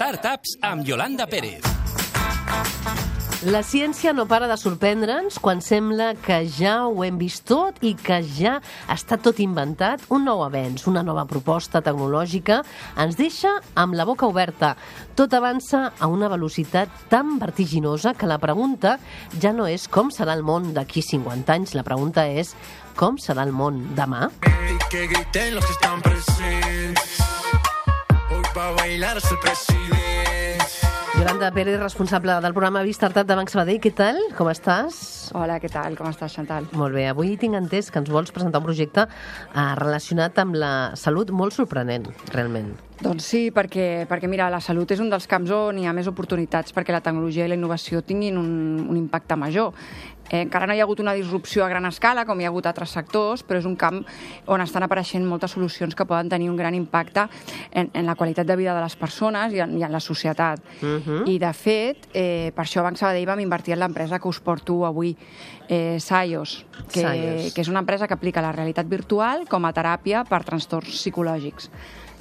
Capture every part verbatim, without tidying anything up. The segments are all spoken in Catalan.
Startups amb Yolanda Pérez. La ciència no para de sorprendre'ns quan sembla que ja ho hem vist tot i que ja està tot inventat. Un nou avenç, una nova proposta tecnològica ens deixa amb la boca oberta. Tot avança a una velocitat tan vertiginosa que la pregunta ja no és com serà el món d'aquí cinquanta anys, la pregunta és com serà el món demà. Que griten los que están presentes. Hoy va a bailar hasta el presidente. Yolanda Pérez, responsable del programa Startup de Banc Sabadell. Què tal? Com estàs? Hola, què tal? Com estàs, Chantal? Molt bé. Avui tinc entès que ens vols presentar un projecte eh, relacionat amb la salut molt sorprenent, realment. Doncs sí, perquè, perquè mira, la salut és un dels camps on hi ha més oportunitats perquè la tecnologia i la innovació tinguin un, un impacte major. Eh, encara no hi ha hagut una disrupció a gran escala, com hi ha hagut a altres sectors, però és un camp on estan apareixent moltes solucions que poden tenir un gran impacte en, en la qualitat de vida de les persones i en, i en la societat. Uh-huh. I, de fet, eh, per això a Banc Sabadell vam invertir en l'empresa que us porto avui, eh, Saios, que, que és una empresa que aplica la realitat virtual com a teràpia per trastorns psicològics.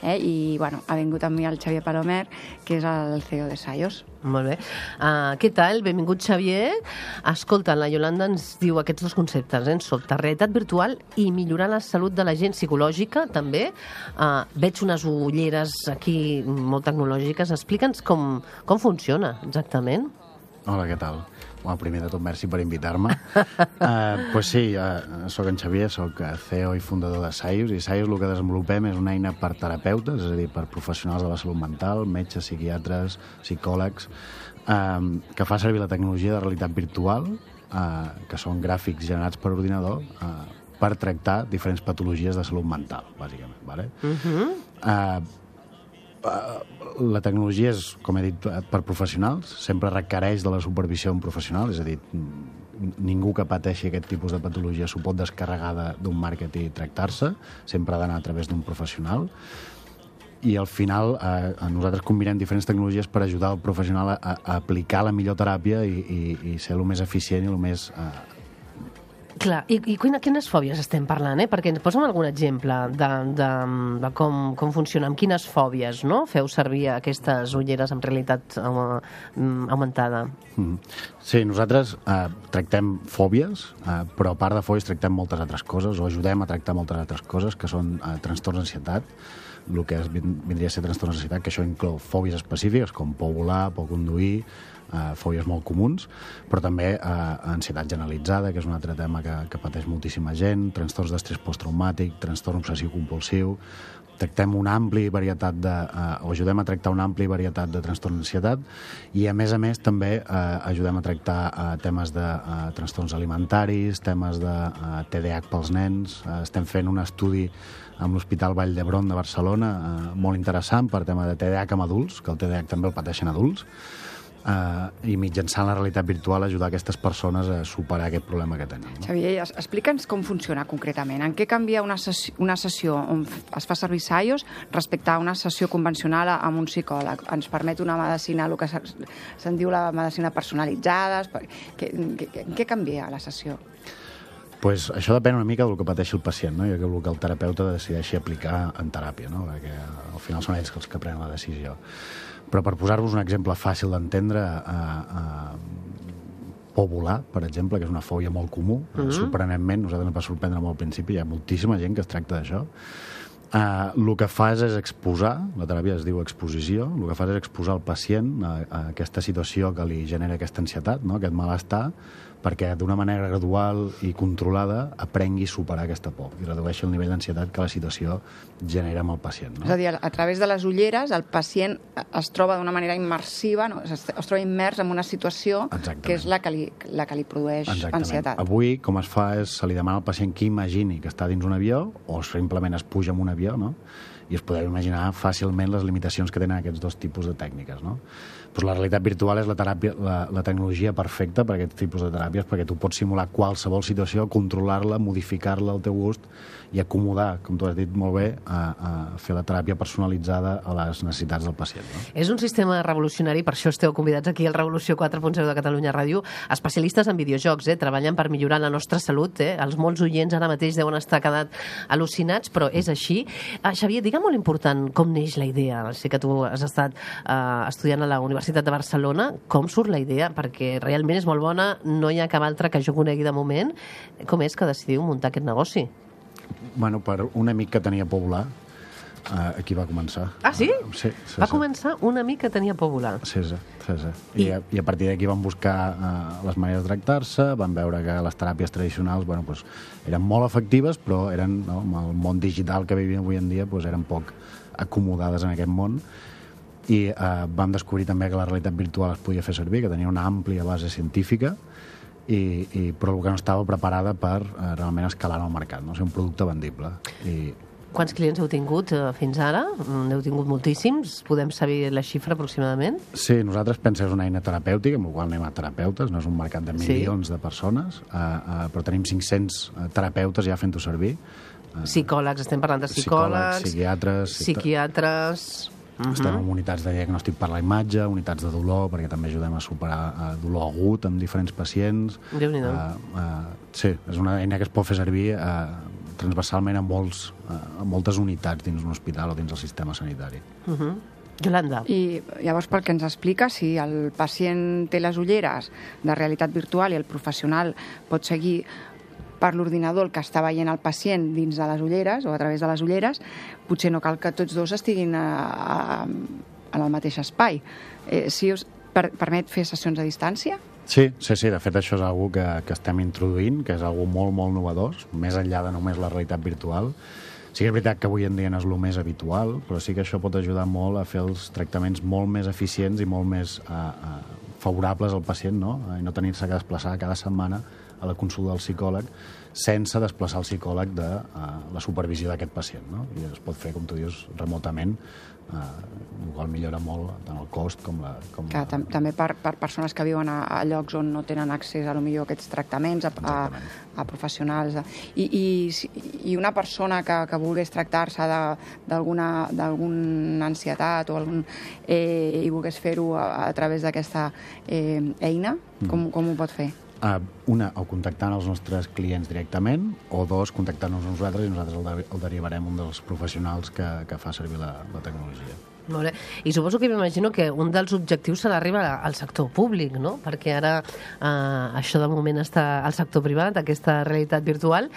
Eh? I bueno, ha vingut amb mi el Xavier Palomer, que és el C E O de Saios. Molt bé. Uh, què tal? Benvingut, Xavier. Escolta, la Yolanda ens diu aquests dos conceptes, eh? Sota realitat virtual i millorar la salut de la gent psicològica, també. Uh, veig unes ulleres aquí molt tecnològiques. Explica'ns com, com funciona exactament. Hola, què tal? Bueno, primer de tot, merci per invitar-me. uh, pues sí, uh, soc en Xavier, soc C E O i fundador de Saios, i Saios el que desenvolupem és una eina per terapeutes, és a dir, per professionals de la salut mental, metges, psiquiatres, psicòlegs, um, que fa servir la tecnologia de realitat virtual, uh, que són gràfics generats per ordinador, uh, per tractar diferents patologies de salut mental, bàsicament. Vale? Uh-huh. uh, La tecnologia és, com he dit, per professionals, sempre requereix de la supervisió d'un professional, és a dir, ningú que pateixi aquest tipus de patologia s'ho pot descarregar d'un marketing i tractar-se, sempre ha d'anar a través d'un professional, i al final eh, nosaltres combinem diferents tecnologies per ajudar el professional a, a aplicar la millor teràpia i, i, i ser el més eficient i el més... Eh, Clar, i, i quines fòbies estem parlant, eh? Perquè ens posa'm algun exemple de, de, de com, com funciona, amb quines fòbies, no?, feu servir aquestes ulleres amb realitat augmentada. Mm. Sí, nosaltres eh, tractem fòbies, eh, però a part de fòbies tractem moltes altres coses, o ajudem a tractar moltes altres coses, que són eh, trastorns d'ansietat, el que vindria a ser trastorns d'ansietat, que això inclou fòbies específiques, com por volar, por conduir, Uh, fòbies molt comuns, però també uh, ansietat generalitzada, que és un altre tema que, que pateix moltíssima gent, trastorns d'estrès posttraumàtic, trastorn obsessiu-compulsiu. Tractem una àmplia varietat de, uh, o ajudem a tractar una àmplia varietat de trastorns d'ansietat, i a més a més també uh, ajudem a tractar uh, temes de uh, trastorns alimentaris, temes de uh, T D A H pels nens. Uh, estem fent un estudi amb l'Hospital Vall d'Hebron de Barcelona, uh, molt interessant per tema de T D A H amb adults, que el T D A H també el pateixen adults, Uh, i mitjançant la realitat virtual ajudar aquestes persones a superar aquest problema que tenen. No? Xavier, explica'ns com funciona concretament. En què canvia una sessió, una sessió on es fa servir Saios respecte a una sessió convencional amb un psicòleg? Ens permet una medicina, el que se'n diu la medicina personalitzada? Què, què, què canvia la sessió? Pues això depèn una mica del que pateixi el pacient, no? I el que el terapeuta decideixi aplicar en teràpia, no? Perquè al final són ells els que prenen la decisió. Però per posar-vos un exemple fàcil d'entendre, eh, eh, por volar, per exemple, que és una fòbia molt comú, mm-hmm. sorprenentment, nosaltres ens va sorprendre molt al principi, hi ha moltíssima gent que es tracta d'això. Eh, el que fas és exposar, la teràpia es diu exposició, el que fas és exposar el pacient a, a aquesta situació que li genera aquesta ansietat, no? Aquest malestar, perquè d'una manera gradual i controlada aprengui a superar aquesta por i redueixi el nivell d'ansietat que la situació genera amb el pacient. No? És a dir, a través de les ulleres el pacient es troba d'una manera immersiva, no? es, es troba immers en una situació Exactament. Que és la que li, la que li produeix Exactament. Ansietat. Avui, com es fa, és se li demana al pacient que imagini que està dins un avió o simplement es puja en un avió, no? I us podeu imaginar fàcilment les limitacions que tenen aquests dos tipus de tècniques, no? Pues la realitat virtual és la, teràpia, la, la tecnologia perfecta per a aquest tipus de teràpies, perquè tu pots simular qualsevol situació, controlar-la, modificar-la al teu gust i acomodar, com tu has dit molt bé, a, a fer la teràpia personalitzada a les necessitats del pacient. No? És un sistema revolucionari, per això esteu convidats aquí al Revolució quatre punt zero de Catalunya Ràdio, especialistes en videojocs, eh? Treballen per millorar la nostra salut, eh? Els molts oients ara mateix deuen estar quedat al·lucinats, però és així. Ah, Xavier, digue'm era molt important com neix la idea. Sé que tu has estat uh, estudiant a la Universitat de Barcelona. Com surt la idea? Perquè realment és molt bona, no hi ha cap altra que jo conegui de moment. Com és que decidiu muntar aquest negoci? Bueno, per un amic que tenia por volar, uh, aquí va començar. Ah, sí? Uh, sí, sí va sí. començar un amic que tenia por volar. Sí, sí, sí, sí. I, I, a, i a partir d'aquí van buscar uh, les maneres de tractar-se, van veure que les teràpies tradicionals bueno, pues, eren molt efectives, però eren, no, amb el món digital que vivim avui en dia pues, eren poc acomodades en aquest món. I uh, vam descobrir també que la realitat virtual es podia fer servir, que tenia una àmplia base científica, I, i, però el que no estava preparada per uh, realment escalar en el mercat, no? O sigui, un producte vendible. I... Quants clients heu tingut uh, fins ara? N'heu tingut moltíssims? Podem saber la xifra aproximadament? Sí, nosaltres pensem que és una eina terapèutica, amb la qual anem a terapeutes, no és un mercat de milions sí. de persones, uh, uh, però tenim cinc-cents terapeutes ja fent-ho servir. Uh, psicòlegs, estem parlant de psicòlegs, psicòlegs psiquiatres... psiquiatres... Uh-huh. Estem en unitats de diagnòstic per la imatge, unitats de dolor, perquè també ajudem a superar uh, dolor agut amb diferents pacients. Déu-n'hi-do. Uh, uh, sí, és una eina que es pot fer servir uh, transversalment a, molts, uh, a moltes unitats dins un hospital o dins el sistema sanitari. Uh-huh. Yolanda. I llavors, pel que ens explica, si el pacient té les ulleres de realitat virtual i el professional pot seguir per l'ordinador el que està veient el pacient dins de les ulleres o a través de les ulleres, potser no cal que tots dos estiguin a, a, en el mateix espai. Eh, si us per, permet fer sessions a distància? Sí, sí, sí, de fet això és algo que, que estem introduint, que és algo molt, molt novedós, més enllà de només la realitat virtual. Sí que és veritat que avui en dia no és el més habitual, però sí que això pot ajudar molt a fer els tractaments molt més eficients i molt més uh, uh, favorables al pacient, no? I no tenir-se que desplaçar cada setmana a la consulta del psicòleg sense desplaçar el psicòleg de uh, la supervisió d'aquest pacient, no? I es pot fer, com tu dius, remotament, uh, el qual millora molt tant el cost com la... Com que, la... tam també per, per persones que viuen a, a llocs on no tenen accés a, lo millor, a aquests tractaments, a, a, a professionals. I, i, I una persona que, que volgués tractar-se d'alguna d'alguna ansietat o algun, eh, i volgués fer-ho a, a través d'aquesta eh, eina, com, com ho pot fer? Uh, una, o contactant els nostres clients directament, o dos, contactant-nos a nosaltres i nosaltres el, de el derivarem un dels professionals que, que fa servir la, la tecnologia. Molt bé. I suposo que m'imagino que un dels objectius serà arribar al sector públic, no? Perquè ara eh, això de moment està al sector privat, aquesta realitat virtual,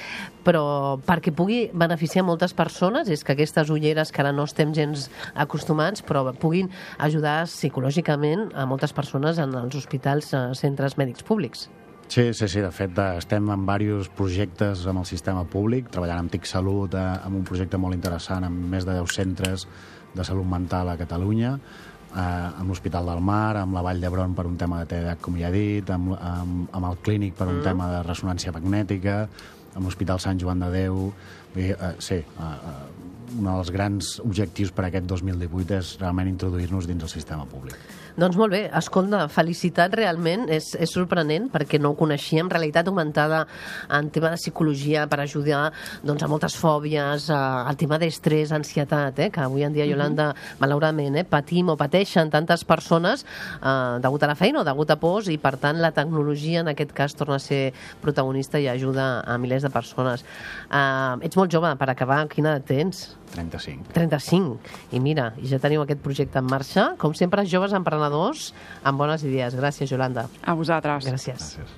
però perquè pugui beneficiar moltes persones, és que aquestes ulleres que ara no estem gens acostumats, però puguin ajudar psicològicament a moltes persones en els hospitals, eh, centres mèdics públics. Sí, sí, sí, de fet estem en diversos projectes amb el sistema públic, treballant amb TIC Salut, eh, amb un projecte molt interessant amb més de deu centres de salut mental a Catalunya, eh, amb l'Hospital del Mar, amb la Vall d'Hebron per un tema de T D A H, com ja he dit, amb, amb, amb el Clínic per un mm. tema de ressonància magnètica, amb l'Hospital Sant Joan de Déu. Bé, eh, sí, eh, un dels grans objectius per aquest dos mil divuit és realment introduir-nos dins el sistema públic. Doncs molt bé, escolta, felicitat realment, és, és sorprenent perquè no ho coneixíem, realitat augmentada en tema de psicologia per ajudar doncs, a moltes fòbies, al tema d'estrès, ansietat, eh, que avui en dia, Yolanda, mm-hmm. malauradament, eh, patim o pateixen tantes persones eh, degut a la feina o degut a pors, i per tant la tecnologia en aquest cas torna a ser protagonista i ajuda a milers de persones. Eh, ets molt jove, per acabar, quina edat tens? trenta-cinc. trenta-cinc. I mira, ja teniu aquest projecte en marxa. Com sempre, joves emprenedors amb bones idees. Gràcies, Yolanda. A vosaltres. Gràcies. Gràcies.